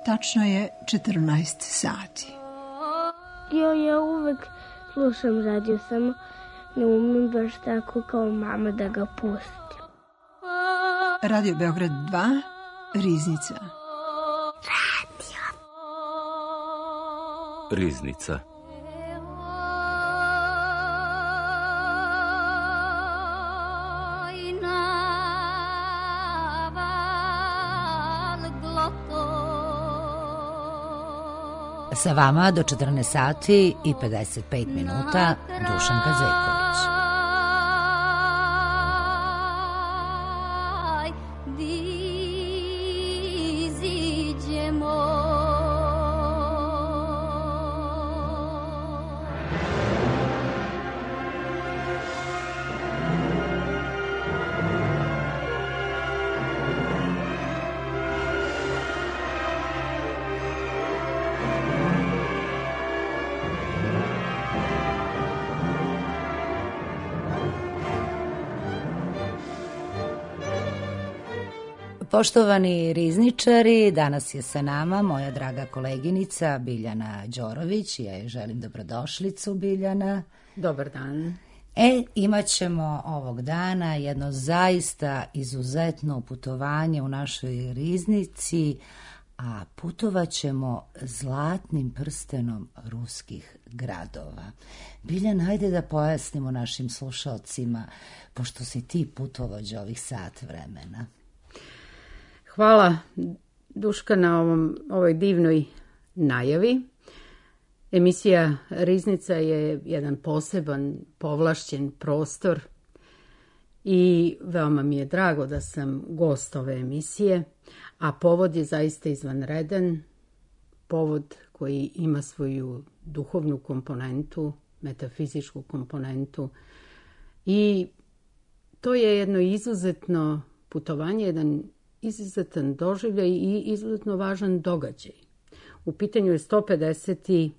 Tačno je 14 sati. Ja uvek slušam radio, samo ne umem baš tako kao mama da ga pustim. Radio Beograd 2, Riznica. Riznica. Sa vama do 14 sati i 55 minuta Dušanka Zeković. Poštovani rizničari, danas je sa nama moja draga koleginica Biljana Đorović. Ja joj želim dobrodošlicu, Biljana. Dobar dan. Imat ćemo ovog dana jedno zaista izuzetno putovanje u našoj riznici, a putovat ćemo zlatnim prstenom ruskih gradova. Biljana, hajde da pojasnimo našim slušalcima, pošto si ti putovođa ovih sat vremena. Hvala, Duška, na ovoj divnoj najavi. Emisija Riznica je jedan poseban, povlašćen prostor i veoma mi je drago da sam gost ove emisije, a povod je zaista izvanredan, povod koji ima svoju duhovnu komponentu, metafizičku komponentu i to je jedno izuzetno putovanje, jedan izuzetan doživljaj i izuzetno važan događaj. U pitanju je 150.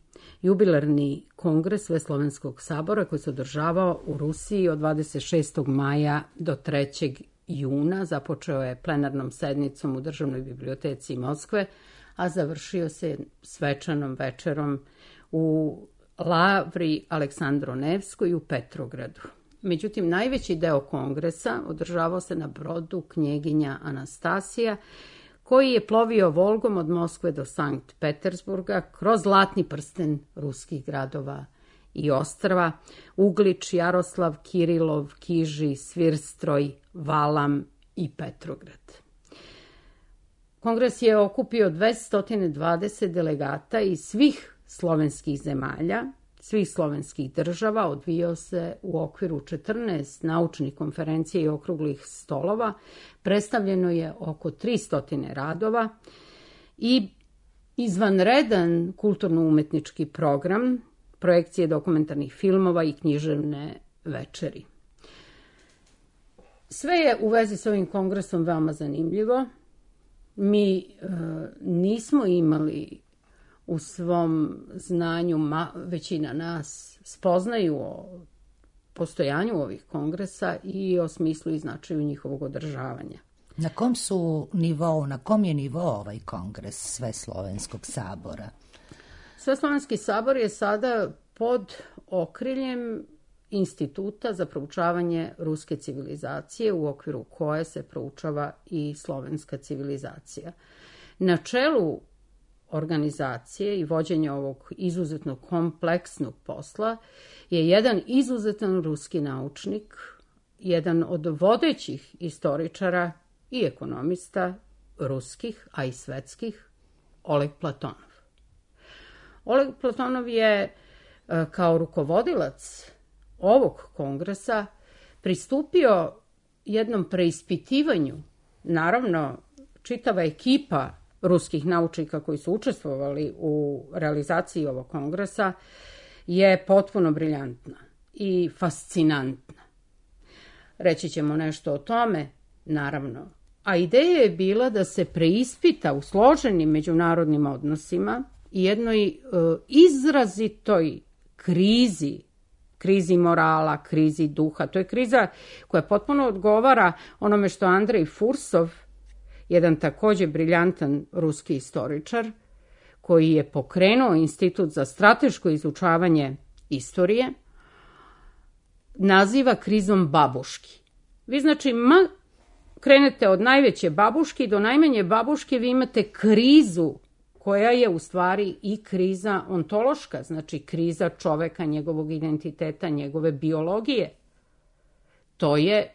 jubilarni kongres Sveslovenskog sabora koji se održavao u Rusiji od 26. maja do 3. juna. Započeo je plenarnom sednicom u Državnoj biblioteci Moskve, a završio se svečanom večerom u Lavri Aleksandro Nevskoj u Petrogradu. Međutim, najveći deo kongresa održavao se na brodu Knjeginja Anastasija, koji je plovio Volgom od Moskve do Sankt Petersburga kroz zlatni prsten ruskih gradova i ostrva, Uglič, Jaroslav, Kirilov, Kiži, Svirstroj, Valam i Petrograd. Kongres je okupio 220 delegata iz svih slovenskih zemalja, svih slovenskih država, odvijao se u okviru 14 naučnih konferencija i okruglih stolova, predstavljeno je oko 300 radova i izvanredan kulturno-umetnički program, projekcije dokumentarnih filmova i književne večeri. Sve je u vezi s ovim kongresom veoma zanimljivo. Mi nismo imali u svom znanju, većina nas spoznaju o postojanju ovih kongresa i o smislu i značaju njihovog održavanja. Na kom je nivou ovaj kongres Sveslovenskog sabora? Sveslovenski sabor je sada pod okriljem Instituta za proučavanje ruske civilizacije, u okviru koje se proučava i slovenska civilizacija. Na čelu organizacije i vođenja ovog izuzetno kompleksnog posla je jedan izuzetan ruski naučnik, jedan od vodećih istoričara i ekonomista ruskih, a i svetskih, Oleg Platonov. Oleg Platonov je kao rukovodilac ovog kongresa pristupio jednom preispitivanju. Naravno, čitava ekipa ruskih naučnika koji su učestvovali u realizaciji ovog kongresa je potpuno briljantna i fascinantna. Reći ćemo nešto o tome, naravno. A ideja je bila da se preispita u složenim međunarodnim odnosima i jednoj izrazitoj krizi morala, krizi duha. To je kriza koja potpuno odgovara onome što Andrej Fursov jedan također briljantan ruski istoričar, koji je pokrenuo Institut za strateško izučavanje istorije, naziva krizom babuški. Vi znači krenete od najveće babuške do najmanje babuške, vi imate krizu koja je u stvari i kriza ontološka, znači kriza čoveka, njegovog identiteta, njegove biologije. To je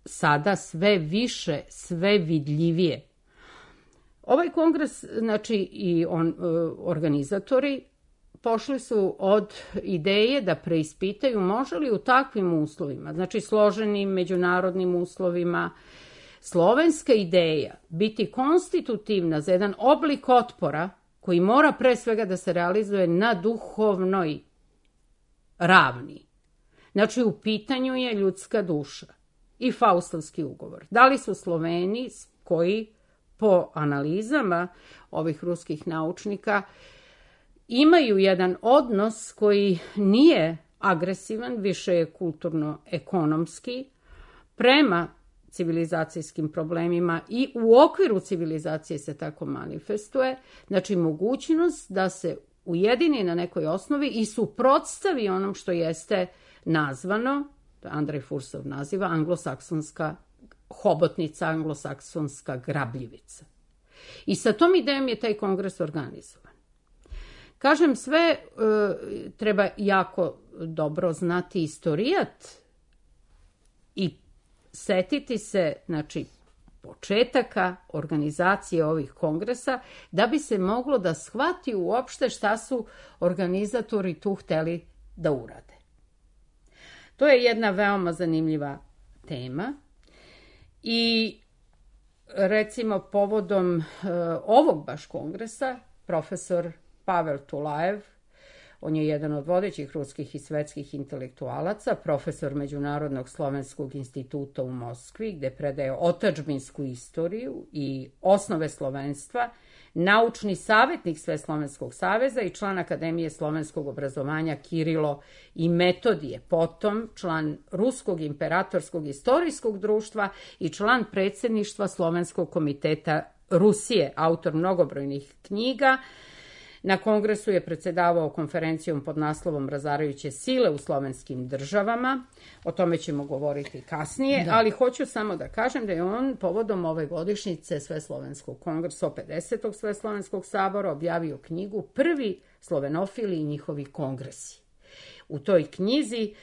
sada sve više, sve vidljivije. Ovaj kongres, znači i organizatori, pošli su od ideje da preispitaju može li u takvim uslovima, znači složenim međunarodnim uslovima, slovenska ideja biti konstitutivna za jedan oblik otpora koji mora pre svega da se realizuje na duhovnoj ravni. Znači u pitanju je ljudska duša i Faustovski ugovor. Da li su Sloveni koji po analizama ovih ruskih naučnika imaju jedan odnos koji nije agresivan, više je kulturno-ekonomski, prema civilizacijskim problemima i u okviru civilizacije se tako manifestuje, znači mogućnost da se ujedini na nekoj osnovi i suprotstavi onom što jeste nazvano, Andrej Fursov naziva, anglosaksonska hobotnica, anglosaksonska grabljivica. I sa tom idejom je taj kongres organizovan. Kažem, sve treba jako dobro znati istorijat i setiti se, znači, početaka organizacije ovih kongresa, da bi se moglo da shvati uopšte šta su organizatori tu hteli da urade. To je jedna veoma zanimljiva tema i recimo povodom ovog baš kongresa profesor Pavel Tulajev, on je jedan od vodećih ruskih i svetskih intelektualaca, profesor Međunarodnog slovenskog instituta u Moskvi, gde predaje otadžbinsku istoriju i osnove slovenstva, naučni savjetnik Sveslovenskog saveza i član Akademije slovenskog obrazovanja Kirilo i Metodije, potom član Ruskog imperatorskog istorijskog društva i član predsjedništva Slovenskog komiteta Rusije, autor mnogobrojnih knjiga. Na kongresu je predsjedavao konferencijom pod naslovom Razarajuće sile u slovenskim državama. O tome ćemo govoriti kasnije, ali hoću samo da kažem da je on povodom ove godišnjice Sveslovenskog kongresa, 50. Sveslovenskog sabora, objavio knjigu Prvi slovenofili i njihovi kongresi. U toj knjizi,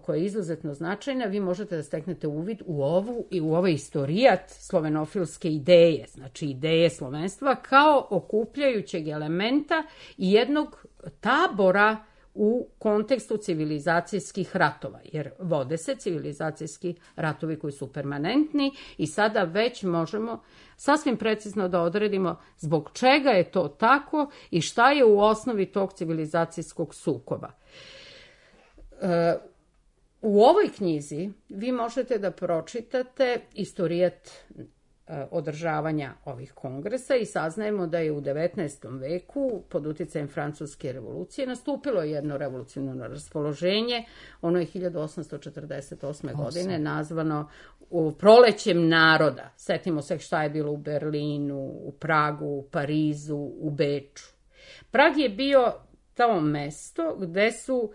koja je izuzetno značajna, vi možete da steknete uvid u ovu i u ovaj istorijat slovenofilske ideje, znači ideje slovenstva kao okupljajućeg elementa i jednog tabora u kontekstu civilizacijskih ratova, jer vode se civilizacijski ratovi koji su permanentni i sada već možemo sasvim precizno da odredimo zbog čega je to tako i šta je u osnovi tog civilizacijskog sukoba. U ovoj knjizi vi možete da pročitate istorijat održavanja ovih kongresa i saznajemo da je u 19. veku pod uticajem Francuske revolucije nastupilo jedno revolucionarno raspoloženje. Ono je 1848. godine nazvano prolećem naroda. Setimo se šta je bilo u Berlinu, u Pragu, u Parizu, u Beču. Prag je bio to mesto gde su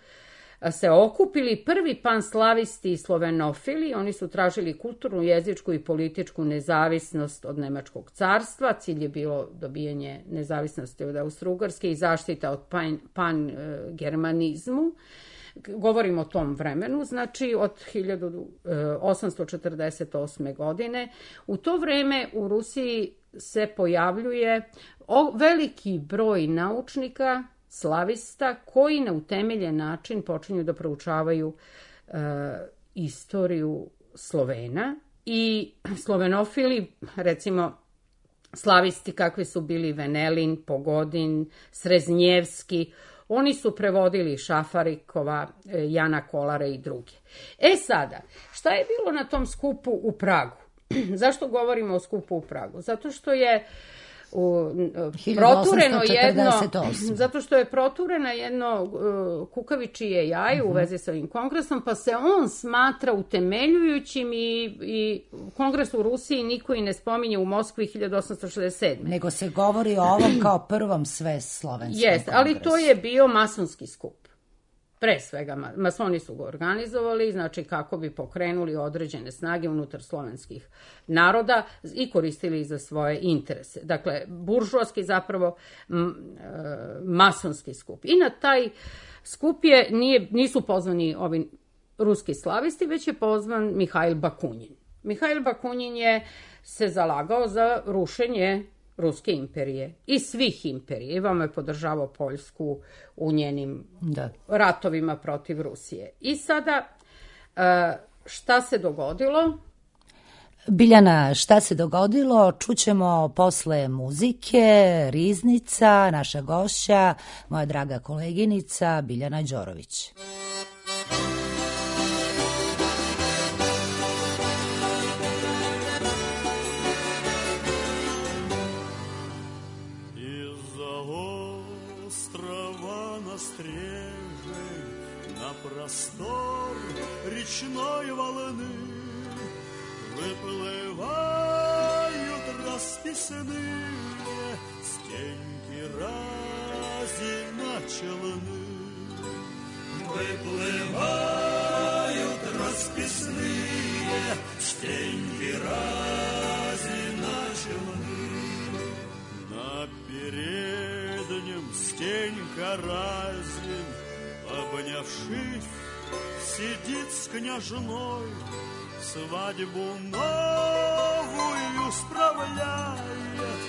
se okupili prvi panslavisti i slovenofili. Oni su tražili kulturnu, jezičku i političku nezavisnost od Nemačkog carstva. Cilj je bilo dobijanje nezavisnosti od Austro-Ugarske i zaštita od pan-germanizmu. Govorimo o tom vremenu, znači od 1848. godine. U to vreme u Rusiji se pojavljuje veliki broj naučnika, slavista, koji na utemeljen način počinju da proučavaju istoriju Slovena i slovenofili, recimo slavisti kakvi su bili Venelin, Pogodin, Sreznjevski, oni su prevodili Šafarikova, Jana Kolara i druge. Sada, šta je bilo na tom skupu u Pragu? Zašto govorimo o skupu u Pragu? Zato što je protureno jedno, zato što je protureno jedno kukavičije jaje u vezi sa ovim kongresom, pa se on smatra utemeljujućim i kongres u Rusiji niko i ne spominje u Moskvi 1867. Nego se govori o ovom kao prvom sveslovenskom kongresu. Ali to je bio masonski skup. Pre svega, masoni su ga organizovali, znači kako bi pokrenuli određene snage unutar slovenskih naroda i koristili za svoje interese. Dakle, buržoaski zapravo masonski skup. I na taj skup nisu pozvani ovi ruski slavisti, već je pozvan Mihajl Bakunin. Mihajl Bakunin se zalagao za rušenje Ruske imperije i svih imperija. I vama je podržavao Poljsku u njenim ratovima protiv Rusije. I sada, šta se dogodilo? Biljana, šta se dogodilo? Čućemo posle muzike, Riznica, naša gošća, moja draga koleginica Biljana Đorović. Простор речной волны выплывают расписанные стенки разина челны. Выплывают расписные стенки разина челны. На переднем стенька разин, обнявшись, сидит с княжной, свадьбу новую справляет,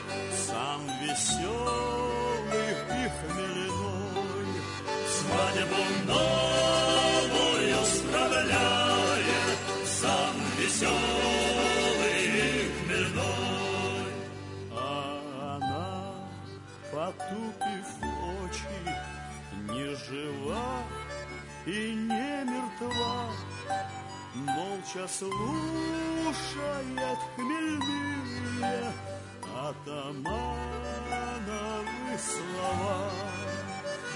сам веселый и хмельной. Свадьбу новую справляет, сам веселый и хмельной. А она, потупив очи, не жива и не мертва, молча слушает хмельные атамановы слова.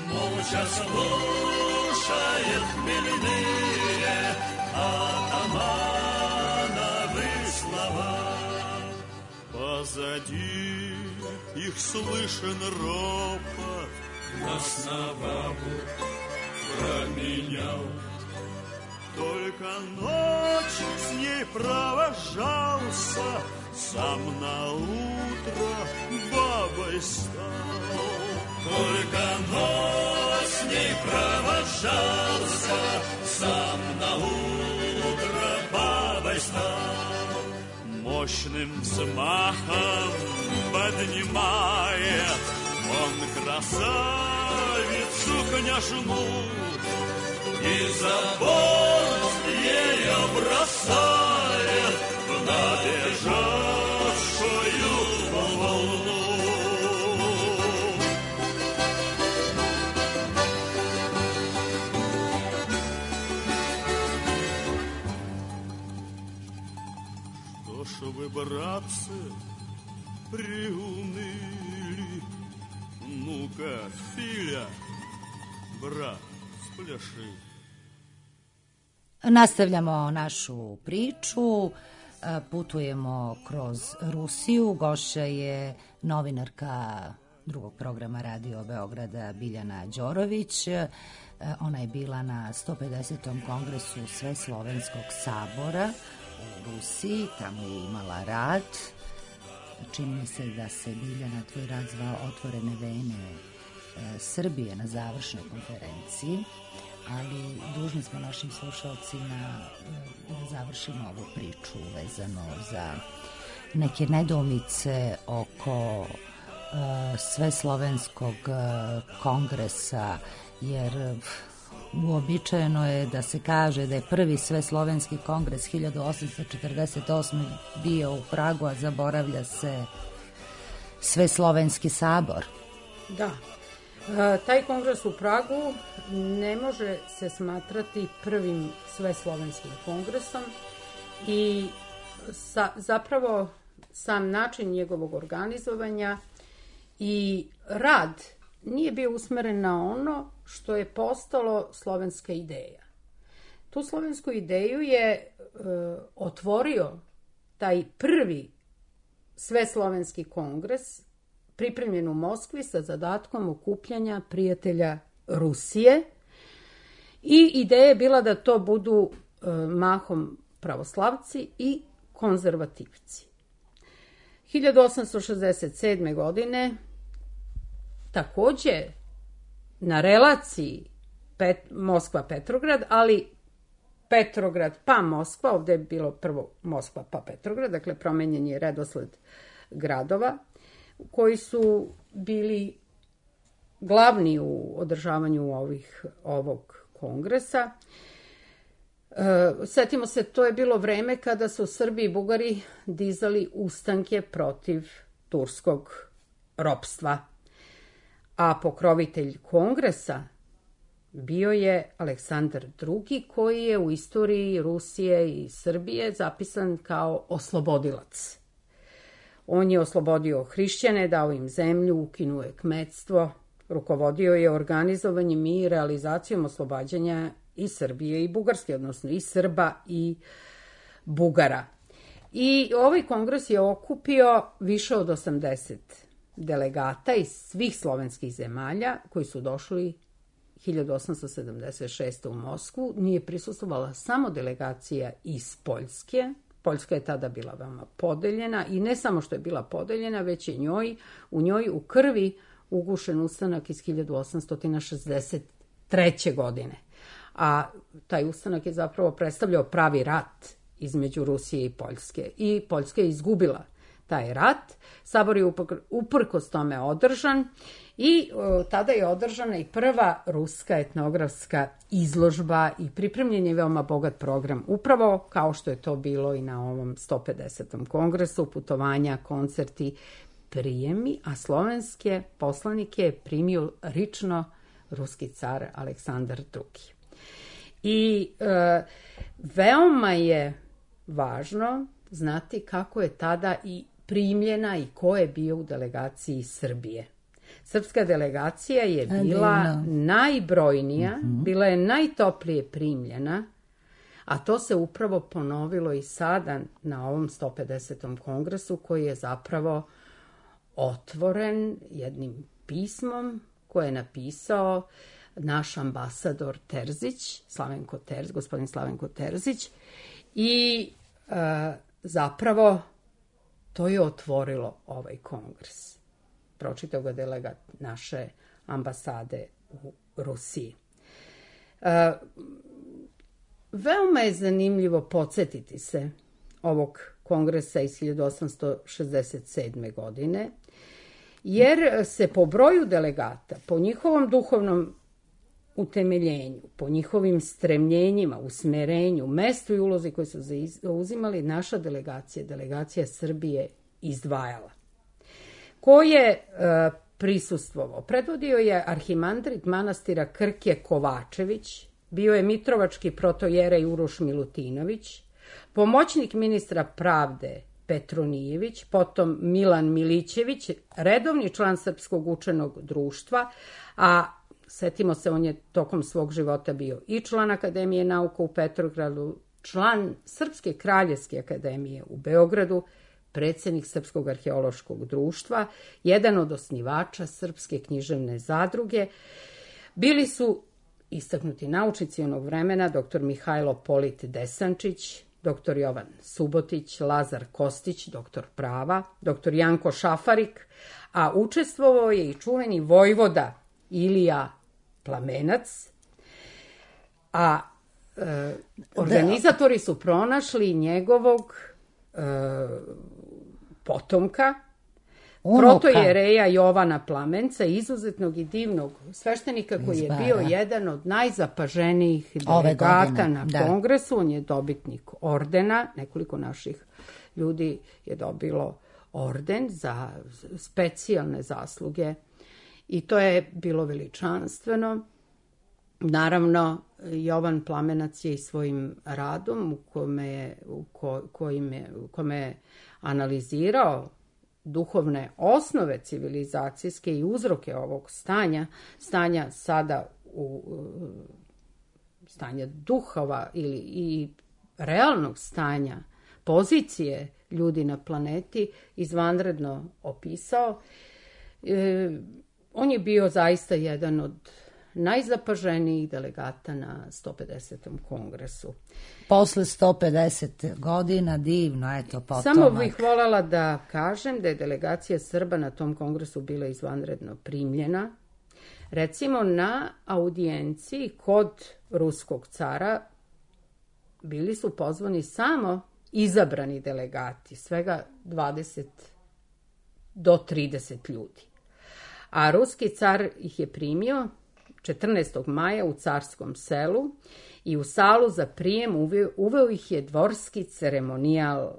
Молча слушает хмельные атамановы слова. Позади их слышен ропот, нас на бабу променял. Только ночь с ней провожался, сам на утро бабой стал. Только ночь с ней провожался, сам на утро бабой стал. Мощным взмахом поднимает он красавицу княжну и за борт ее бросает в набежавшую волну. Что ж вы, братцы, приуныли? Ну-ка, Филя, брат, spляши. Nastavljamo našu priču, putujemo kroz Rusiju. Gošća je novinarka drugog programa Radio Beograda Biljana Đorović. Ona je bila na 150. kongresu Sveslovenskog sabora u Rusiji, tamo je imala rad. Čini mi se da se, Biljana, tvoj rad zvao Otvorene vene Srbije na završnoj konferenciji, ali dužni smo našim slušalcima da završimo ovu priču vezano za neke nedoumice oko Sveslovenskog kongresa, jer uobičajeno je da se kaže da je prvi Sveslovenski kongres 1848. bio u Pragu, a zaboravlja se Sveslovenski sabor. Da. Taj kongres u Pragu ne može se smatrati prvim Sveslovenskim kongresom i zapravo sam način njegovog organizovanja I rad nije bio usmeren na ono što je postalo slovenska ideja. Tu slovensku ideju je otvorio taj prvi sveslovenski kongres pripremljen u Moskvi sa zadatkom okupljanja prijatelja Rusije i ideja je bila da to budu mahom pravoslavci i konzervativci. 1867. godine takođe na relaciji Moskva-Petrograd, ali Petrograd pa Moskva, ovde je bilo prvo Moskva pa Petrograd, dakle promenjen je redosled gradova koji su bili glavni u održavanju ovog kongresa. Setimo se, to je bilo vreme kada su Srbi i Bugari dizali ustanke protiv turskog ropstva, a pokrovitelj kongresa bio je Aleksandar II, koji je u istoriji Rusije i Srbije zapisan kao oslobodilac. On je oslobodio hrišćane, dao im zemlju, ukinuo je kmetstvo, rukovodio je organizovanjem i realizacijom oslobađanja i Srbije i Bugarske, odnosno i Srba i Bugara. I ovaj kongres je okupio više od 80 delegata iz svih slovenskih zemalja koji su došli 1876. u Moskvu. Nije prisustvovala samo delegacija iz Poljske. Poljska je tada bila veoma podeljena i ne samo što je bila podeljena, već je u njoj u krvi ugušen ustanak iz 1863. godine. A taj ustanak je zapravo predstavljao pravi rat između Rusije i Poljske. I Poljska je izgubila taj rat. Sabor je uprkos tome održan i tada je održana i prva ruska etnografska izložba i pripremljen je veoma bogat program, upravo kao što je to bilo i na ovom 150. kongresu, putovanja, koncerti, prijemi, a slovenske poslanike je primio lično ruski car Aleksandar II. I veoma je važno znati kako je tada i primljena i ko je bio u delegaciji Srbije. Srpska delegacija je bila najbrojnija, bila je najtoplije primljena, a to se upravo ponovilo i sada na ovom 150. kongresu koji je zapravo otvoren jednim pismom koje je napisao naš ambasador Terzić, gospodin Slavenko Terzić, i zapravo to je otvorilo ovaj kongres. Pročitao ga delegat naše ambasade u Rusiji. Veoma je zanimljivo podsjetiti se ovog kongresa iz 1867. godine, jer se po broju delegata, po njihovom duhovnom utemeljenju, po njihovim stremljenjima, usmerenju, mestu i ulozi koje su zauzimali, naša delegacija Srbije izdvajala. Ko je prisustvovao? Predvodio je arhimandrit manastira Krke Kovačević, bio je mitrovački protojerej Uroš Milutinović, pomoćnik ministra pravde Petronijević, potom Milan Milićević, redovni član Srpskog učenog društva, a setimo se, on je tokom svog života bio i član Akademije nauka u Petrogradu, član Srpske kraljevske akademije u Beogradu, predsjednik Srpskog arheološkog društva, jedan od osnivača Srpske književne zadruge. Bili su istaknuti naučnici onog vremena dr. Mihajlo Polit Desančić, dr. Jovan Subotić, Lazar Kostić, dr. prava, dr. Janko Šafarik, a učestvovao je i čuveni vojvoda Ilija Plamenac, a organizatori su pronašli njegovog potomka, protojereja Jovana Plamenca, izuzetnog i divnog sveštenika koji je bio jedan od najzapaženijih delegata na kongresu. On je dobitnik ordena, nekoliko naših ljudi je dobilo orden za specijalne zasluge i to je bilo veličanstveno. Naravno, Jovan Plamenac je i svojim radom u kome je analizirao duhovne osnove civilizacijske i uzroke ovog stanja sada stanja duhova i realnog stanja, pozicije ljudi na planeti, izvanredno opisao. On je bio zaista jedan od najzapaženijih delegata na 150. kongresu. Posle 150 godina, divno, eto, potomak. Samo bih voljela da kažem da je delegacija Srba na tom kongresu bila izvanredno primljena. Recimo, na audijenciji kod ruskog cara bili su pozvani samo izabrani delegati, svega 20 do 30 ljudi. A ruski car ih je primio 14. maja u Carskom selu i u salu za prijem uveo ih je dvorski ceremonijal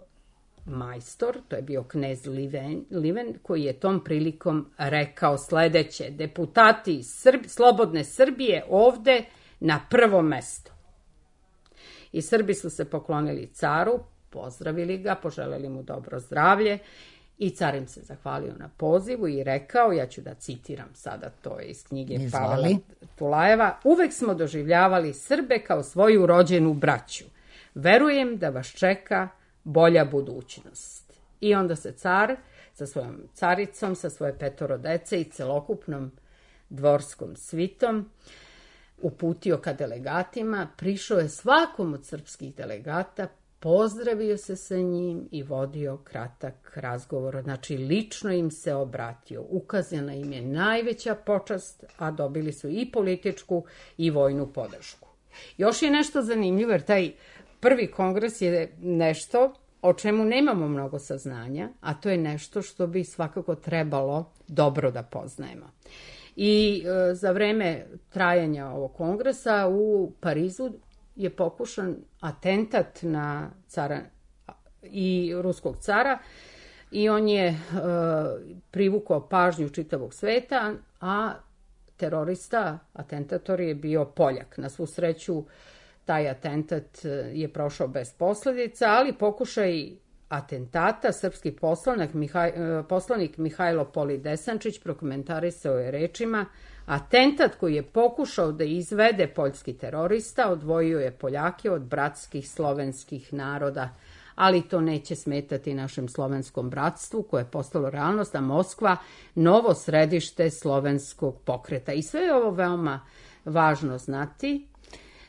majstor, to je bio knez Liven, koji je tom prilikom rekao sledeće: deputati slobodne Srbije ovde na prvo mesto. I Srbi su se poklonili caru, pozdravili ga, poželeli mu dobro zdravlje i car im se zahvalio na pozivu i rekao, ja ću da citiram sada, to je iz knjige Pavela Tulajeva: uvek smo doživljavali Srbe kao svoju rođenu braću. Verujem da vas čeka bolja budućnost. I onda se car sa svojom caricom, sa svoje 5 dece i celokupnom dvorskom svitom uputio ka delegatima, prišao je svakom od srpskih delegata, pozdravio se sa njim i vodio kratak razgovor. Znači, lično im se obratio. Ukazana im je najveća počast, a dobili su i političku i vojnu podršku. Još je nešto zanimljivo, jer taj prvi kongres je nešto o čemu nemamo mnogo saznanja, a to je nešto što bi svakako trebalo dobro da poznajemo. I za vreme trajanja ovog kongresa u Parizu je pokušan atentat na cara i ruskog cara i on je privukao pažnju čitavog sveta, a terorista, atentator je bio Poljak. Na svu sreću taj atentat je prošao bez posledica, ali pokušaj atentata srpski poslanik Mihajlo Polidesančić prokomentarisao je rečima: atentat koji je pokušao da izvede poljski terorista odvojio je Poljake od bratskih slovenskih naroda, ali to neće smetati našem slovenskom bratstvu koje je postalo realnost, a Moskva novo središte slovenskog pokreta. I sve je ovo veoma važno znati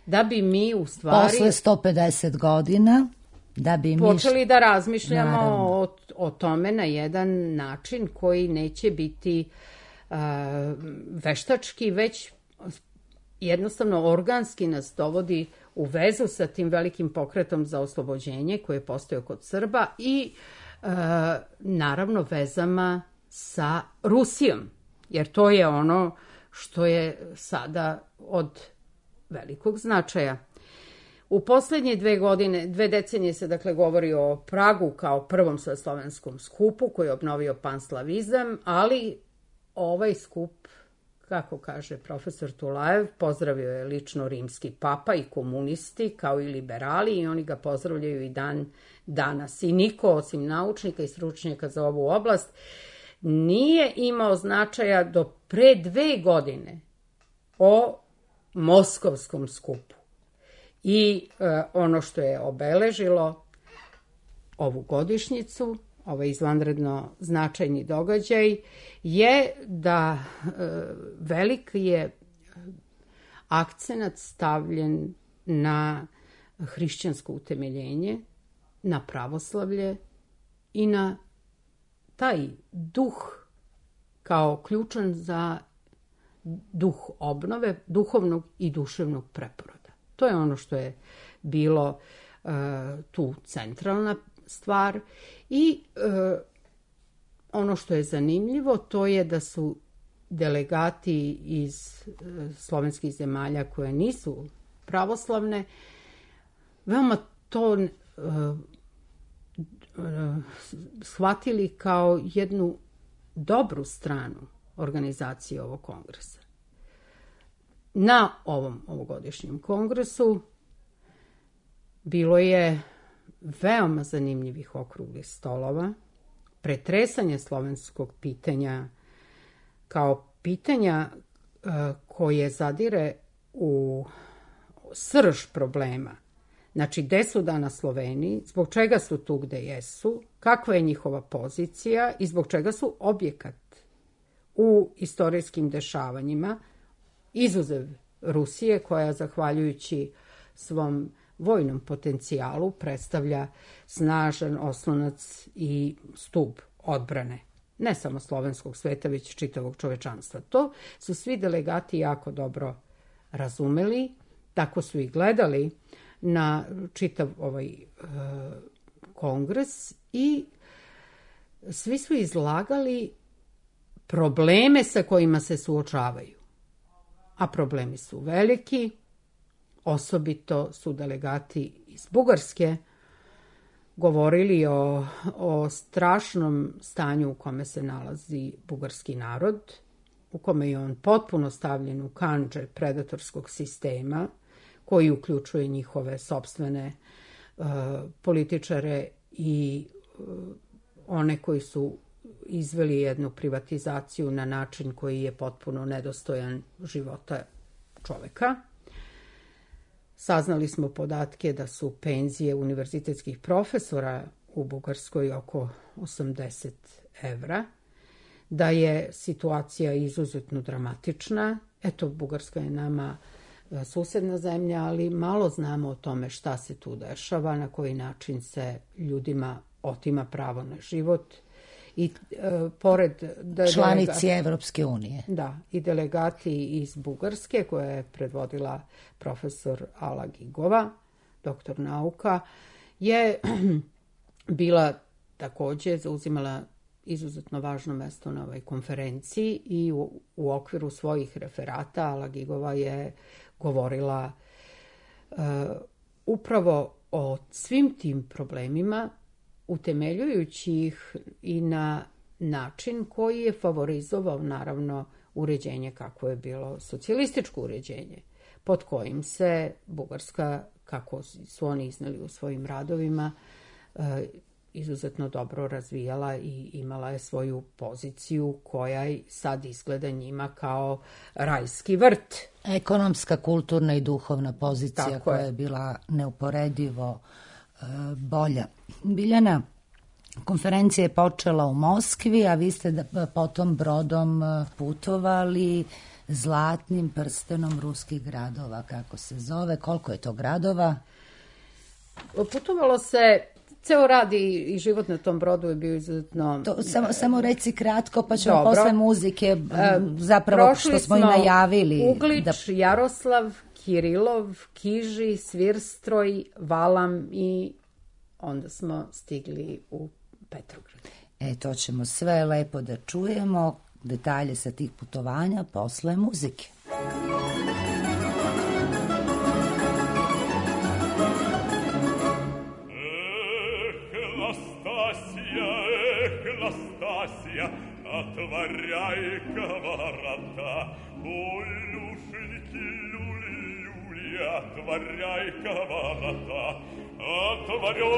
da bi mi u stvari posle 150 godina da bi počeli da razmišljamo o tome na jedan način koji neće biti veštački, već jednostavno organski nas dovodi u vezu sa tim velikim pokretom za oslobođenje koji je postojao kod Srba i naravno vezama sa Rusijom, jer to je ono što je sada od velikog značaja. U posljednje 2 decenije se dakle govori o Pragu kao prvom sveslovenskom skupu koji je obnovio panslavizam, ali ovaj skup, kako kaže profesor Tulajev, pozdravio je lično rimski papa i komunisti kao i liberali i oni ga pozdravljaju i dan danas. I niko osim naučnika i stručnjaka za ovu oblast nije imao značaja do pre 2 godine o moskovskom skupu. I ono što je obeležilo ovu godišnjicu, ovaj izvanredno značajni događaj, je da velik je akcenat stavljen na hrišćansko utemeljenje, na pravoslavlje i na taj duh kao ključan za duh obnove, duhovnog i duševnog preporoda. To je ono što je bilo tu centralna stvar i ono što je zanimljivo to je da su delegati iz slovenskih zemalja koje nisu pravoslavne veoma to shvatili kao jednu dobru stranu organizacije ovog kongresa. Na ovom ovogodišnjem kongresu bilo je veoma zanimljivih okruglih stolova pretresanje slovenskog pitanja kao pitanja koje zadire u srž problema. Znači, gde su danas Sloveni, zbog čega su tu gde jesu, kakva je njihova pozicija i zbog čega su objekat u istorijskim dešavanjima, izuzev Rusije, koja, zahvaljujući svom vojnom potencijalu, predstavlja snažan oslonac i stub odbrane. Ne samo slovenskog sveta, već čitavog čovečanstva. To su svi delegati jako dobro razumeli, tako su i gledali na čitav ovaj kongres i svi su izlagali probleme sa kojima se suočavaju. A problemi su veliki, osobito su delegati iz Bugarske govorili o strašnom stanju u kome se nalazi bugarski narod, u kome je on potpuno stavljen u kandže predatorskog sistema, koji uključuje njihove sopstvene političare i one koji su izveli jednu privatizaciju na način koji je potpuno nedostojan života čoveka. Saznali smo podatke da su penzije univerzitetskih profesora u Bugarskoj oko 80 evra, da je situacija izuzetno dramatična. Eto, Bugarska je nama susedna zemlja, ali malo znamo o tome šta se tu dešava, na koji način se ljudima otima pravo na život. I pored članici Evropske unije. Da, i delegati iz Bugarske, koja je predvodila profesor Ala Gigova, doktor nauka, je bila takođe, zauzimala izuzetno važno mesto na ovoj konferenciji i u okviru svojih referata Ala Gigova je govorila upravo o svim tim problemima, utemeljujući ih i na način koji je favorizovao, naravno, uređenje kako je bilo socijalističko uređenje, pod kojim se Bugarska, kako su oni izneli u svojim radovima, izuzetno dobro razvijala i imala je svoju poziciju koja sad izgleda njima kao rajski vrt. Ekonomska, kulturna i duhovna pozicija koja je bila neuporedivo bolja. Biljana, konferencija je počela u Moskvi, a vi ste potom brodom putovali zlatnim prstenom ruskih gradova, kako se zove. Koliko je to gradova? Putovalo se, ceo rad i život na tom brodu je bio izuzetno... Samo reci kratko, pa ćemo posle muzike, zapravo što smo i najavili. Uglič, Jaroslav, Kirilov, Kiži, Svirstroj, Valam i onda smo stigli u Petrograd. To ćemo sve lepo da čujemo, detalje sa tih putovanja posle muzike. Настасья, отворяй-ка ворота, ой, люшеньки, люли-люли, отворяй-ка ворота, отворяй-ка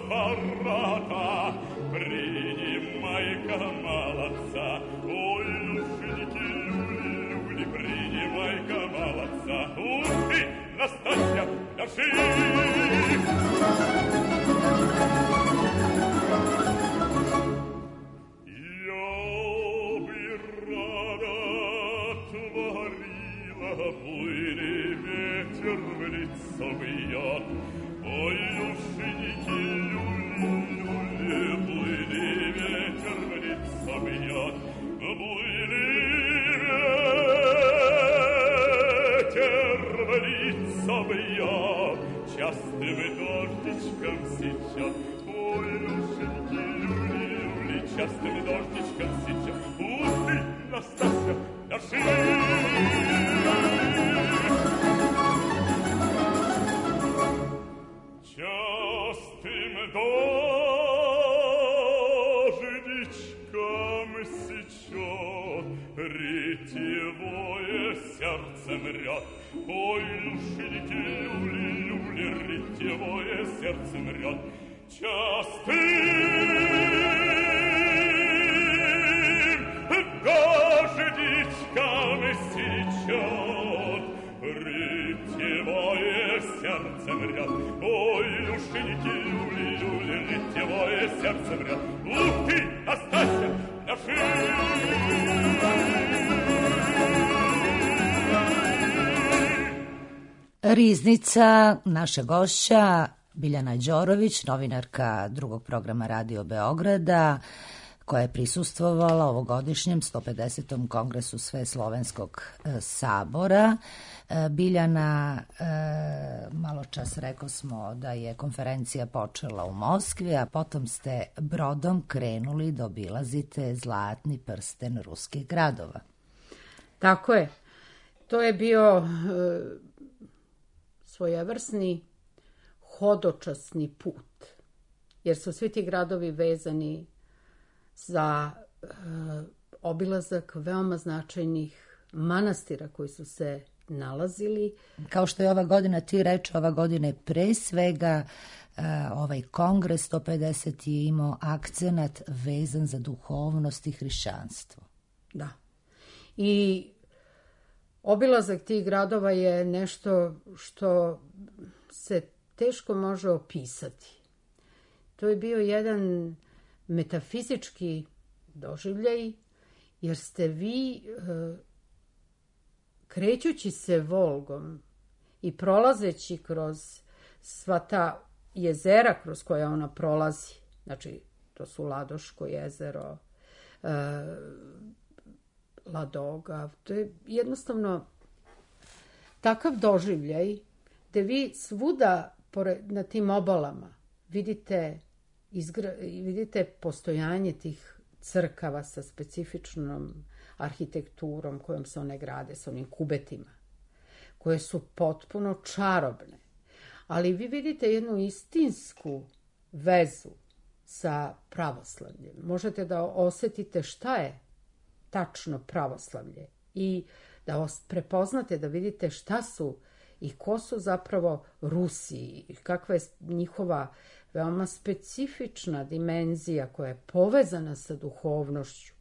ворота, принимай-ка молодца, ой, люшеньки, люли-люли, принимай-ка молодца, ух ты, Настасья, держи! Ой, люшеньки, люли-люли, плыли ветер в лицо бьет, плыли ветер в лицо бьет, частым дождичком сечет. Ой, люшеньки, люли-люли, частым дождичком сечет. Ух ты, Настасья, держи! Частым дождичком сечет, ретевое сердце мрет. Ой, люшеньки, люли-люли, ретевое сердцем ряд. Частым дождичком сечет рытьевое сердцем ряд. Ой, люшеньки, люли, рытьевое сердцем ряд. Ух ты, Настасья, наши! Riznica, naša gošća, Biljana Đorović, novinarka drugog programa Radio Beograda, koja je prisustvovala ovogodišnjem 150. kongresu Sveslovenskog sabora. Biljana, malo čas rekao smo da je konferencija počela u Moskvi, a potom ste brodom krenuli da obilazite zlatni prsten ruskih gradova. Tako je. To je bio svojevrsni hodočasni put, jer su svi ti gradovi vezani za obilazak veoma značajnih manastira koji su se nalazili. Kao što je ova godina, ti reče, ova godina je pre svega ovaj kongres 150 je imao akcenat vezan za duhovnost i hrišćanstvo. Da. I obilazak tih gradova je nešto što se teško može opisati. To je bio jedan metafizički doživljaj, jer ste vi, krećući se Volgom i prolazeći kroz sva ta jezera kroz koja ona prolazi, znači to su Ladoško jezero, Ladoga, to je jednostavno takav doživljaj gde vi svuda na tim obalama vidite postojanje tih crkava sa specifičnom arhitekturom kojom se one grade, sa onim kubetima, koje su potpuno čarobne. Ali vi vidite jednu istinsku vezu sa pravoslavljem. Možete da osetite šta je tačno pravoslavlje i da prepoznate, da vidite šta su i ko su zapravo Rusi, kakva je njihova veoma specifična dimenzija koja je povezana sa duhovnošću.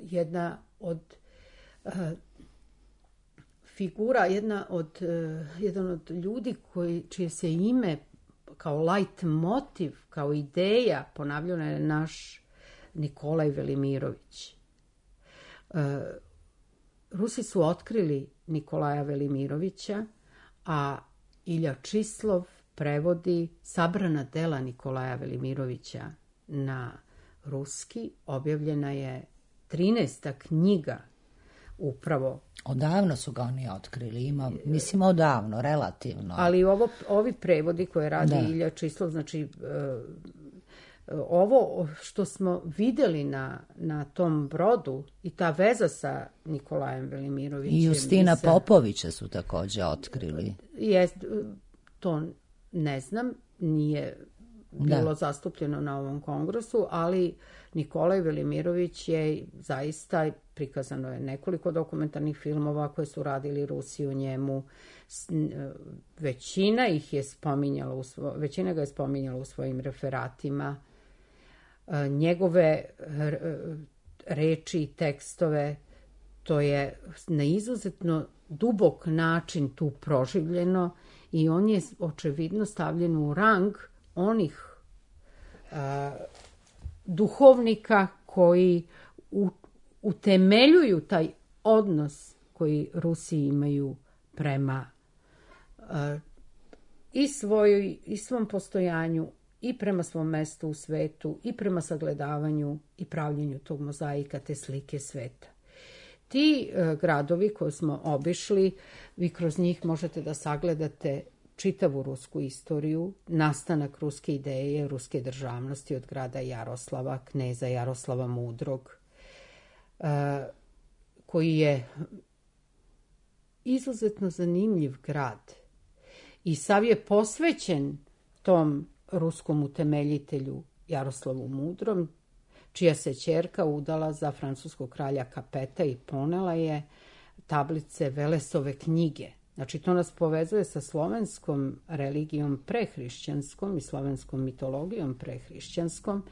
Jedna od figura, jedan od ljudi čije se ime kao light motiv, kao ideja ponavljena je naš Nikolaj Velimirović. Rusi su otkrili Nikolaja Velimirovića, a Ilja Čislov prevodi sabrana dela Nikolaja Velimirovića na ruski. Objavljena je 13. knjiga upravo. Odavno su ga oni otkrili, mislim odavno, relativno. Ali ovi prevodi koje radi Ilja Čislov, znači ovo što smo videli na tom brodu i ta veza sa Nikolajem Velimirovićem. I Justina Popovića su također otkrili. To ne znam, nije bilo zastupljeno na ovom kongresu, ali Nikolaj Velimirović je zaista, prikazano je nekoliko dokumentarnih filmova koje su radili Rusi o njemu. Većina ga je spominjala u svojim referatima. Njegove reči i tekstove, to je na izuzetno dubok način tu proživljeno i on je očevidno stavljen u rang onih duhovnika koji utemeljuju taj odnos koji Rusi imaju prema i svom postojanju, i prema svom mestu u svetu, i prema sagledavanju i pravljenju tog mozaika, te slike sveta. Ti gradovi koje smo obišli, vi kroz njih možete da sagledate čitavu rusku istoriju, nastanak ruske ideje, ruske državnosti od grada Jaroslava, kneza Jaroslava Mudrog, koji je izuzetno zanimljiv grad. I sav je posvećen tom ruskom utemeljitelju Jaroslavu Mudrom, čija se ćerka udala za francuskog kralja Kapeta i ponela je tablice Velesove knjige Znači, to nas povezuje sa slovenskom religijom prehrišćanskom i slovenskom mitologijom prehrišćanskom.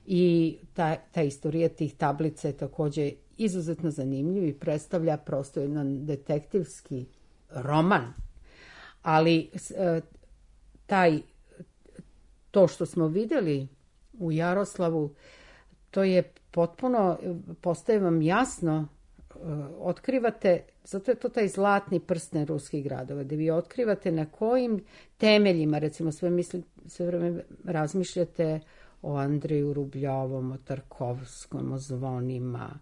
I ta istorija tih tablica je također izuzetno zanimljiv i predstavlja prosto jedan detektivski roman. Ali to što smo vidjeli u Jaroslavu, to je potpuno, postaje vam jasno, otkrivate, zato je to taj zlatni prsten ruskih gradova, gdje vi otkrivate na kojim temeljima, recimo sve vreme razmišljate o Andreju Rubljovom, o Tarkovskom, o zvonima,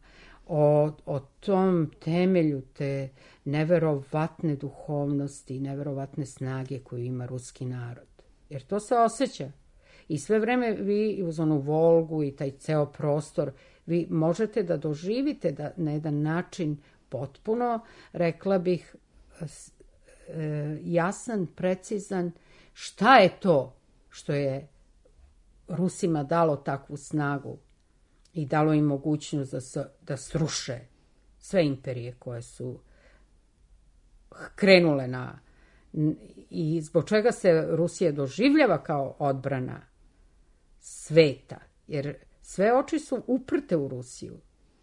o tom temelju te neverovatne duhovnosti, neverovatne snage koju ima ruski narod. Jer to se osjeća. I sve vreme vi uz onu Volgu i taj ceo prostor, vi možete da doživite da na jedan način potpuno, rekla bih, jasan, precizan, šta je to što je Rusima dalo takvu snagu i dalo im mogućnost da sruše sve imperije koje su krenule i zbog čega se Rusija doživljava kao odbrana sveta, jer sve oči su uprte u Rusiju.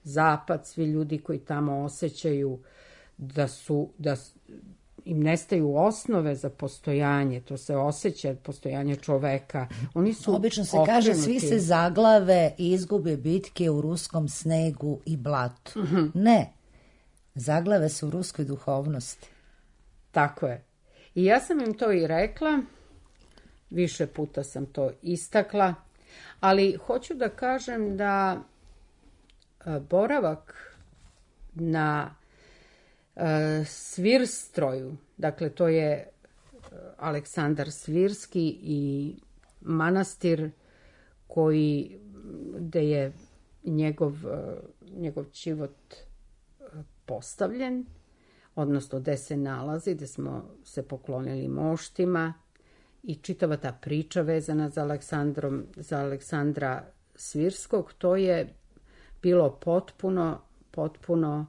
Zapad, svi ljudi koji tamo osjećaju da im nestaju osnove za postojanje, to se osjeća, postojanje čoveka. Oni su obično se kaže, svi se zaglave i izgube bitke u ruskom snegu i blatu. Ne, zaglave se u ruskoj duhovnosti. Tako je. I ja sam im to i rekla, više puta sam to istakla, ali hoću da kažem da boravak na Svirstroju, dakle to je Aleksandar Svirski i manastir gde je njegov život postavljen, odnosno gde se nalazi, gde smo se poklonili moštima i čitava ta priča vezana za Aleksandra Svirskog, to je bilo potpuno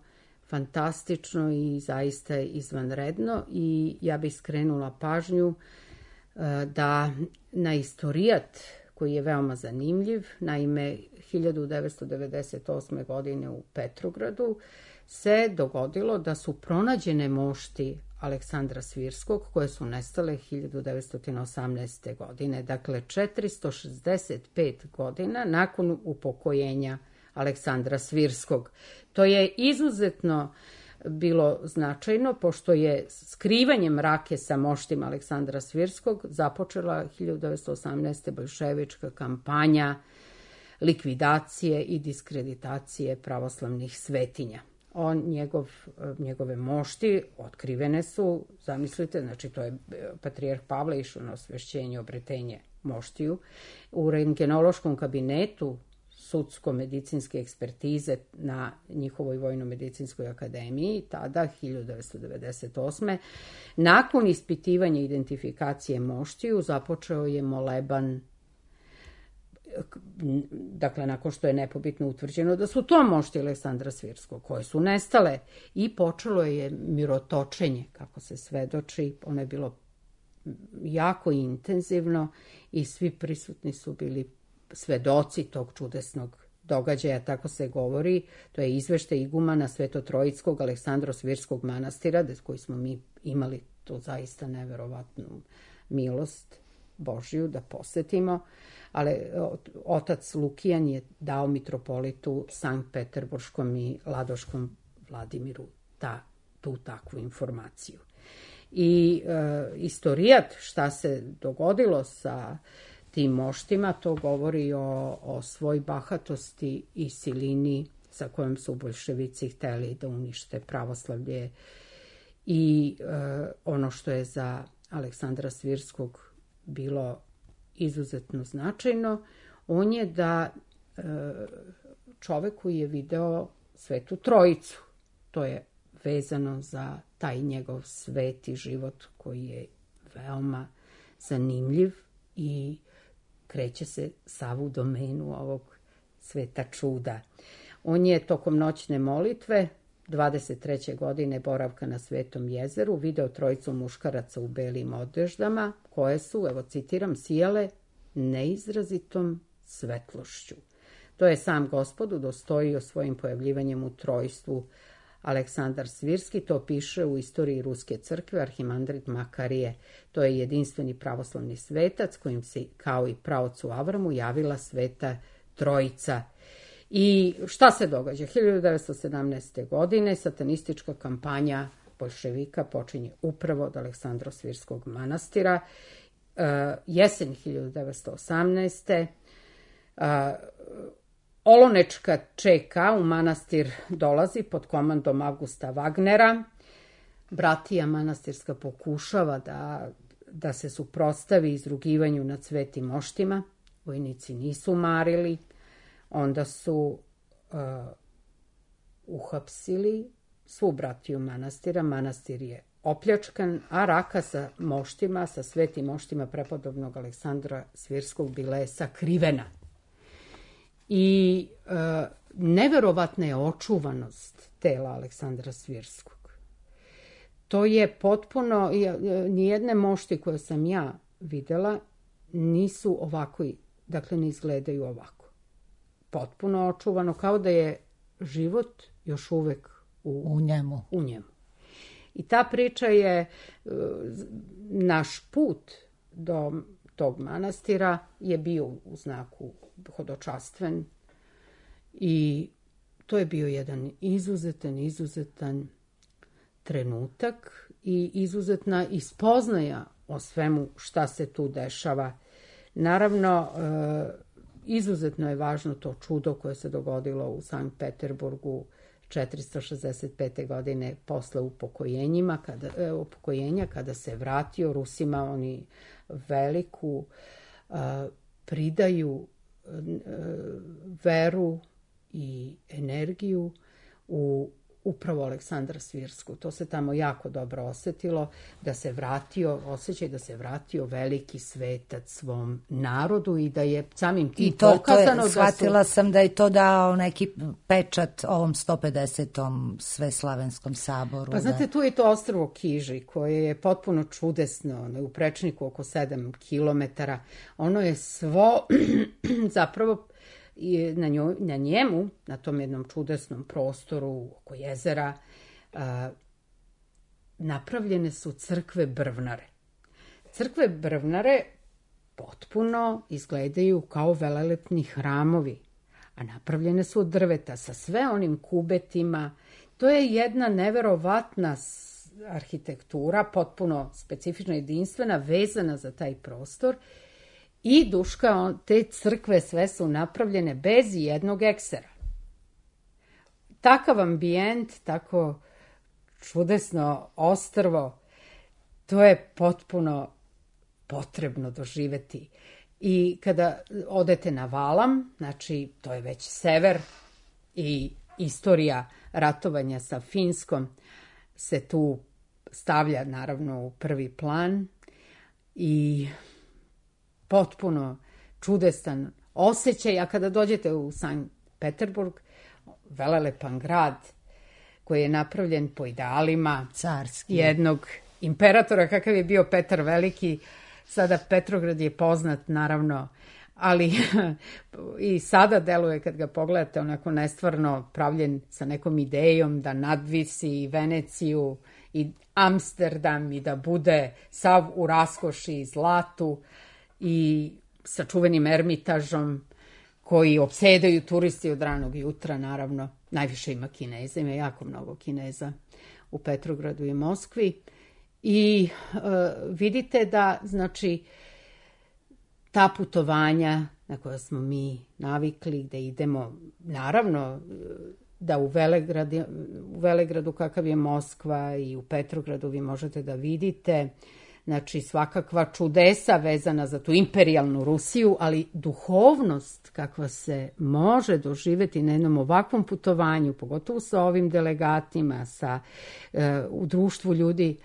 fantastično i zaista izvanredno i ja bih skrenula pažnju da na istorijat koji je veoma zanimljiv, naime 1998. godine u Petrogradu se dogodilo da su pronađene mošti Aleksandra Svirskog koje su nestale 1918. godine, dakle 465 godina nakon upokojenja Aleksandra Svirskog. To je izuzetno bilo značajno, pošto je skrivanje mrake sa moštima Aleksandra Svirskog započela 1918. boljševička kampanja likvidacije i diskreditacije pravoslavnih svetinja. Njegove mošti otkrivene su, zamislite, znači to je patrijarh Pavle išao na osvešćenje, obretenje moštiju. U rentgenološkom kabinetu sudsko-medicinske ekspertize na njihovoj Vojno-medicinskoj akademiji, tada 1998. Nakon ispitivanja identifikacije moštiju započeo je moleban, dakle nakon što je nepobitno utvrđeno da su to mošti Aleksandra Svirskog koje su nestale i počelo je mirotočenje, kako se svedoči, ono je bilo jako intenzivno i svi prisutni su bili svedoci tog čudesnog događaja, tako se govori. To je izveštaj igumana Svetotrojickog Aleksandra Svirskog manastira, koji smo mi imali to zaista neverovatnu milost Božiju da posetimo, ali otac Lukijan je dao mitropolitu Sankt Peterburškom i Ladoškom Vladimiru tu takvu informaciju. I istorijat šta se dogodilo sa tim moštima, to govori o svoj bahatosti i silini sa kojom su boljševici hteli da unište pravoslavlje. I ono što je za Aleksandra Svirskog bilo izuzetno značajno, on je da čovek koji je video Svetu Trojicu, to je vezano za taj njegov sveti život koji je veoma zanimljiv i kreće se sav u domenu ovog sveta čuda. On je tokom noćne molitve 23. godine boravka na Svetom jezeru video trojicu muškaraca u belim odeždama, koje su, evo citiram, sijale neizrazitom svetlošću. To je sam Gospod udostojio svojim pojavljivanjem u trojstvu. Aleksandar Svirski to piše u Istoriji Ruske crkve, arhimandrit Makarije. To je jedinstveni pravoslavni svetac kojim se, kao i praocu Avramu, javila Sveta Trojica. I šta se događa? 1917. godine satanistička kampanja boljševika počinje upravo od Aleksandro-Svirskog manastira. Jesen 1918. Olonečka ČK u manastir dolazi pod komandom Augusta Wagnera. Bratija manastirska pokušava da se suprotstavi izrugivanju nad svetim moštima. Vojnici nisu marili. Onda su uhapsili svu bratiju manastira. Manastir je opljačkan, a raka sa moštima, sa svetim moštima prepodobnog Aleksandra Svirskog bila je sakrivena. I neverovatna je očuvanost tela Aleksandra Svirskog. To je potpuno, nijedne mošti koje sam ja videla nisu ovako, dakle ne izgledaju ovako. Potpuno očuvano, kao da je život još uvek u njemu. I ta priča je, naš put do tog manastira je bio u znaku hodočastven i to je bio jedan izuzetan trenutak i izuzetna ispoznaja o svemu šta se tu dešava. Naravno, izuzetno je važno to čudo koje se dogodilo u Sankt Peterburgu 465. godine posle upokojenja, kada se vratio Rusima, oni veliku pridaju veru i energiju u upravo Aleksandra Svirsku. To se tamo jako dobro osetilo, osjećaj da se vratio veliki svetac svom narodu i da je samim tim pokazano da su... Shvatila sam da je to dao neki pečat ovom 150. Sveslavenskom saboru. Pa znate, tu je to ostrvo Kiži, koje je potpuno čudesno, ono je u prečniku oko 7 kilometara. Ono je svo zapravo... I na njemu, na tom jednom čudesnom prostoru oko jezera, napravljene su crkve brvnare. Crkve brvnare potpuno izgledaju kao velelepni hramovi, a napravljene su od drveta sa sve onim kubetima. To je jedna neverovatna arhitektura, potpuno specifična, jedinstvena, vezana za taj prostor. I Duška, te crkve sve su napravljene bez jednog eksera. Takav ambijent, tako čudesno ostrvo, to je potpuno potrebno doživeti. I kada odete na Valam, znači to je već sever i istorija ratovanja sa Finskom se tu stavlja naravno u prvi plan i potpuno čudesan osjećaj, a kada dođete u Sankt Peterburg, velelepan grad koji je napravljen po idealima carski jednog imperatora kakav je bio Petar Veliki. Sada Petrograd je poznat naravno, ali i sada deluje kad ga pogledate onako nestvarno pravljen sa nekom idejom da nadvisi i Veneciju i Amsterdam i da bude sav u raskoši i zlatu i sa čuvenim Ermitažom koji opsedaju turisti od ranog jutra, naravno. Najviše ima Kineza, ima jako mnogo Kineza u Petrogradu i Moskvi. I vidite da, znači, ta putovanja na koja smo mi navikli, da idemo, naravno, da u Velegradu kakav je Moskva i u Petrogradu vi možete da vidite, znači svakakva čudesa vezana za tu imperijalnu Rusiju, ali duhovnost kakva se može doživjeti na jednom ovakvom putovanju, pogotovo sa ovim delegatima, u društvu ljudi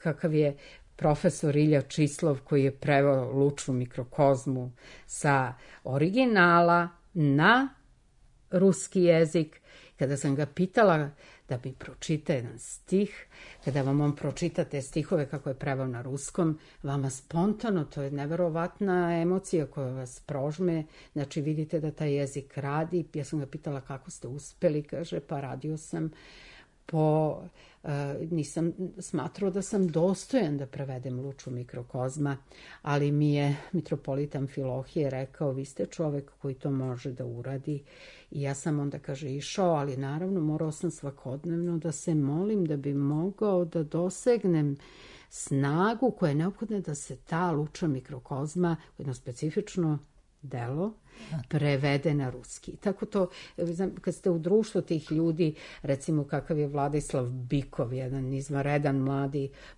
kakav je profesor Ilja Čislov koji je preveo Lučnu mikrokozmu sa originala na ruski jezik. Kada sam ga pitala da mi pročita jedan stih. Kada vam on pročita te stihove kako je preveo na ruskom, vama spontano, to je neverovatna emocija koja vas prožme. Znači vidite da taj jezik radi. Ja sam ga pitala kako ste uspeli, kaže pa radio sam nisam smatrao da sam dostojan da prevedem Luču mikrokozma, ali mi je mitropolit Amfilohije rekao, vi ste čovek koji to može da uradi. I ja sam onda, kaže, išao, ali naravno morao sam svakodnevno da se molim da bi mogao da dosegnem snagu koja je neophodna da se ta Luča mikrokozma, jedno specifično delo, prevede na ruski. Tako to, kad ste u društvu tih ljudi, recimo kakav je Vladislav Bikov, jedan izvanredan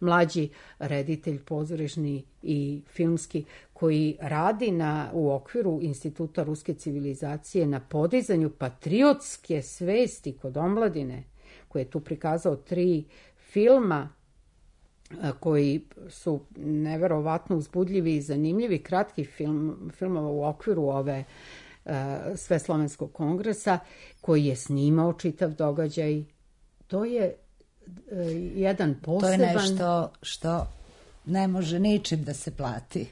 mlađi reditelj pozorišni i filmski, koji radi u okviru Instituta ruske civilizacije na podizanju patriotske svesti kod omladine, koji je tu prikazao 3 filma koji su neverovatno uzbudljivi i zanimljivi, kratki filmova u okviru ove Sveslovenskog kongresa, koji je snimao čitav događaj. To je jedan poseban... To je nešto što ne može ničim da se plati.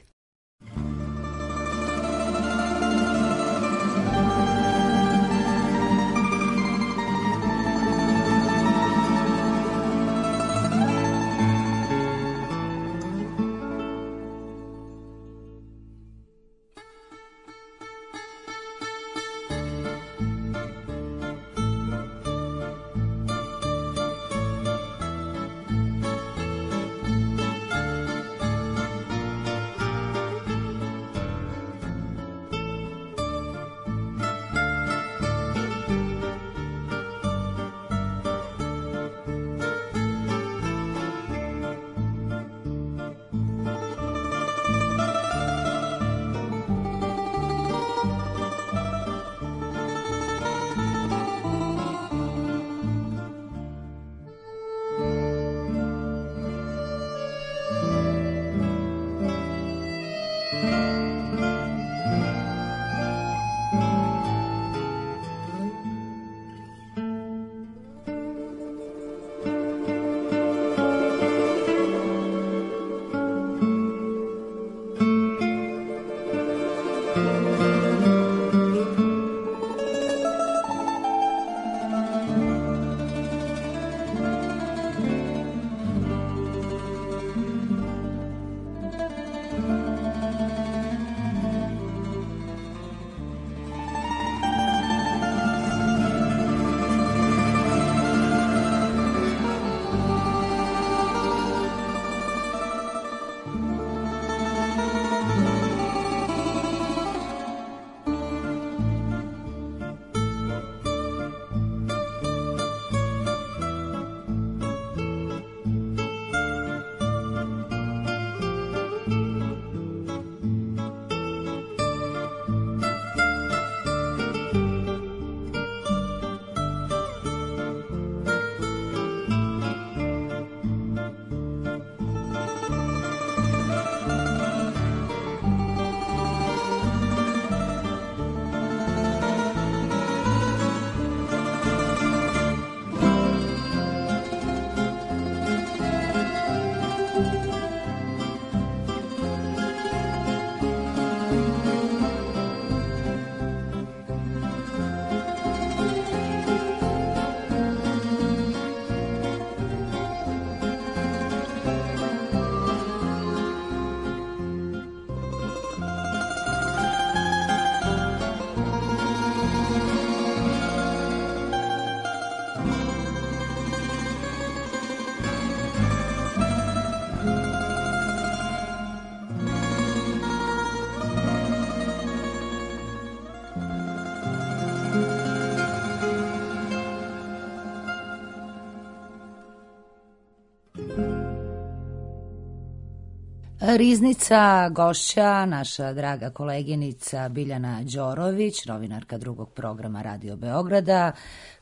Riznica gošća, naša draga koleginica Biljana Đorović, novinarka drugog programa Radio Beograda,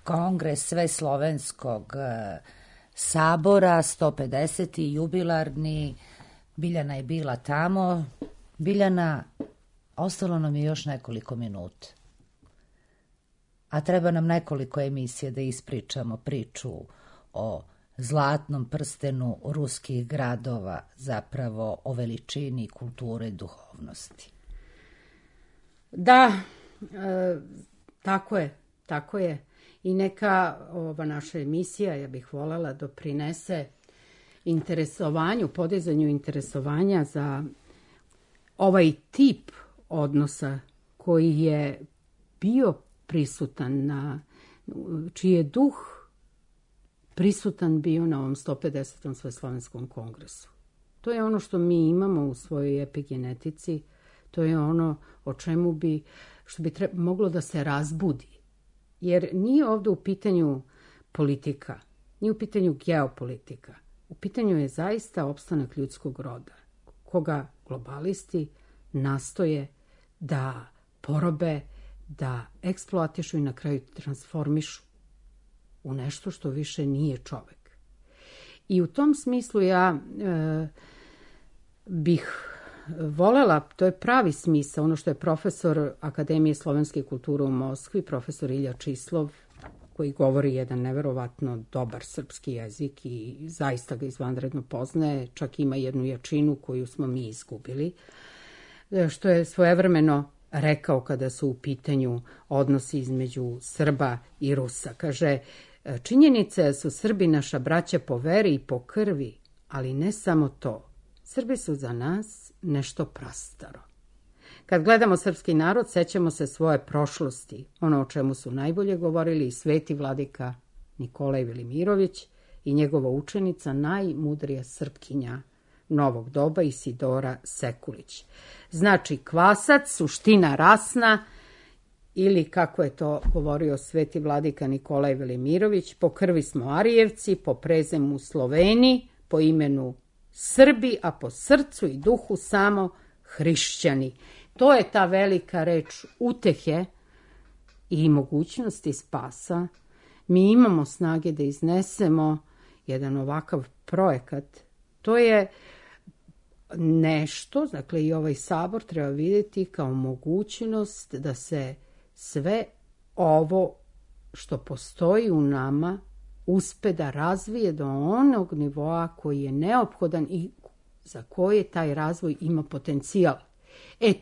Kongres Sveslovenskog sabora, 150. jubilarni. Biljana je bila tamo. Biljana, ostalo nam je još nekoliko minuta. a treba nam nekoliko emisija da ispričamo priču o zlatnom prstenu ruskih gradova, zapravo o veličini kulture i duhovnosti. Da, tako je. I neka ova naša emisija, ja bih voljela, doprinese interesovanju, podizanju interesovanja za ovaj tip odnosa koji je bio prisutan, čiji je duh prisutan bio na ovom 150. Sveslovenskom kongresu. To je ono što mi imamo u svojoj epigenetici, to je ono o čemu bi, što bi moglo da se razbudi. Jer nije ovdje u pitanju politika, nije u pitanju geopolitika. U pitanju je zaista opstanak ljudskog roda, koga globalisti nastoje da porobe, da eksploatišu i na kraju transformišu u nešto što više nije čovek. I u tom smislu ja bih voljela, to je pravi smisao, ono što je profesor Akademije slovenske kulture u Moskvi, profesor Ilja Čislov, koji govori jedan neverovatno dobar srpski jezik i zaista ga izvanredno poznaje, čak ima jednu jačinu koju smo mi izgubili, što je svojevremeno rekao kada su u pitanju odnosi između Srba i Rusa. Kaže, činjenica su Srbi naša braća po veri i po krvi, ali ne samo to. Srbi su za nas nešto prastaro. Kad gledamo srpski narod, sećamo se svoje prošlosti, ono o čemu su najbolje govorili i sveti vladika Nikolaj Velimirović i njegova učenica, najmudrija Srpkinja novog doba, Isidora Sekulić. Znači, kvasac, suština rasna, ili kako je to govorio sveti vladika Nikolaj Velimirović, po krvi smo Arijevci, po prezemu Sloveni, po imenu Srbi, a po srcu i duhu samo hrišćani. To je ta velika reč utehe i mogućnosti spasa. Mi imamo snage da iznesemo jedan ovakav projekat. To je nešto, dakle i ovaj sabor treba vidjeti kao mogućnost da se sve ovo što postoji u nama uspe da razvije do onog nivoa koji je neophodan i za koje taj razvoj ima potencijal.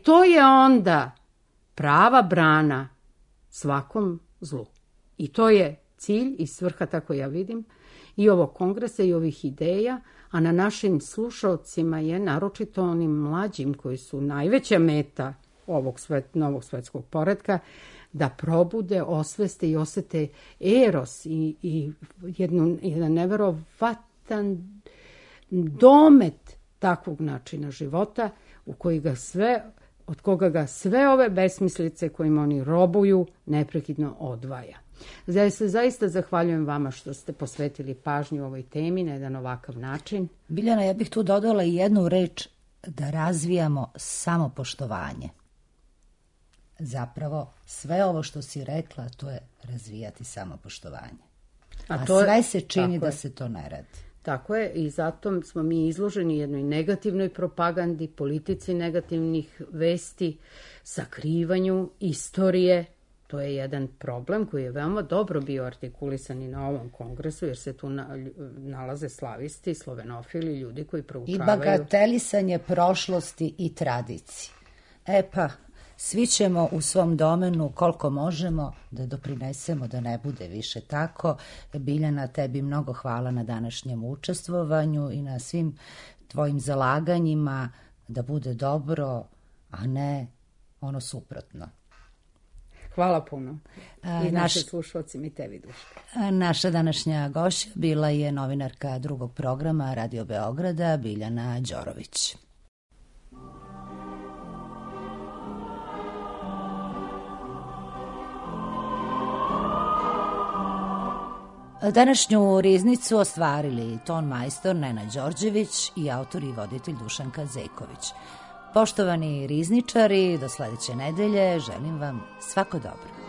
To je onda prava brana svakom zlu. I to je cilj i svrha, tako ja vidim, i ovog kongresa i ovih ideja, a na našim slušalcima je, naročito onim mlađim koji su najveća meta ovog novog svetskog poretka, da probude, osveste i osete eros i jedan neverovatan domet takvog načina života od koga ga sve ove besmislice kojim oni robuju neprekidno odvaja. Zaista zahvaljujem vama što ste posvetili pažnju ovoj temi na jedan ovakav način. Biljana, ja bih tu dodala i jednu reč, da razvijamo samopoštovanje. Zapravo, sve ovo što si rekla, to je razvijati samopoštovanje. A sve se čini da se to ne radi. Tako je, i zato smo mi izloženi jednoj negativnoj propagandi, politici negativnih vesti, sakrivanju istorije. To je jedan problem koji je veoma dobro bio artikulisan i na ovom kongresu, jer se tu nalaze slavisti, slovenofili, ljudi koji proučavaju. I bagatelisanje prošlosti i tradicije. Svi ćemo u svom domenu koliko možemo da doprinesemo da ne bude više tako. Biljana, tebi mnogo hvala na današnjem učestvovanju i na svim tvojim zalaganjima da bude dobro, a ne ono suprotno. Hvala puno. I naši slušalci mi tebi, Duška. Naša današnja gošća bila je novinarka drugog programa Radio Beograda, Biljana Đorović. Današnju riznicu ostvarili ton majstor Nenad Đorđević i autor i voditelj Dušanka Zejković. Poštovani rizničari, do sledeće nedelje želim vam svako dobro.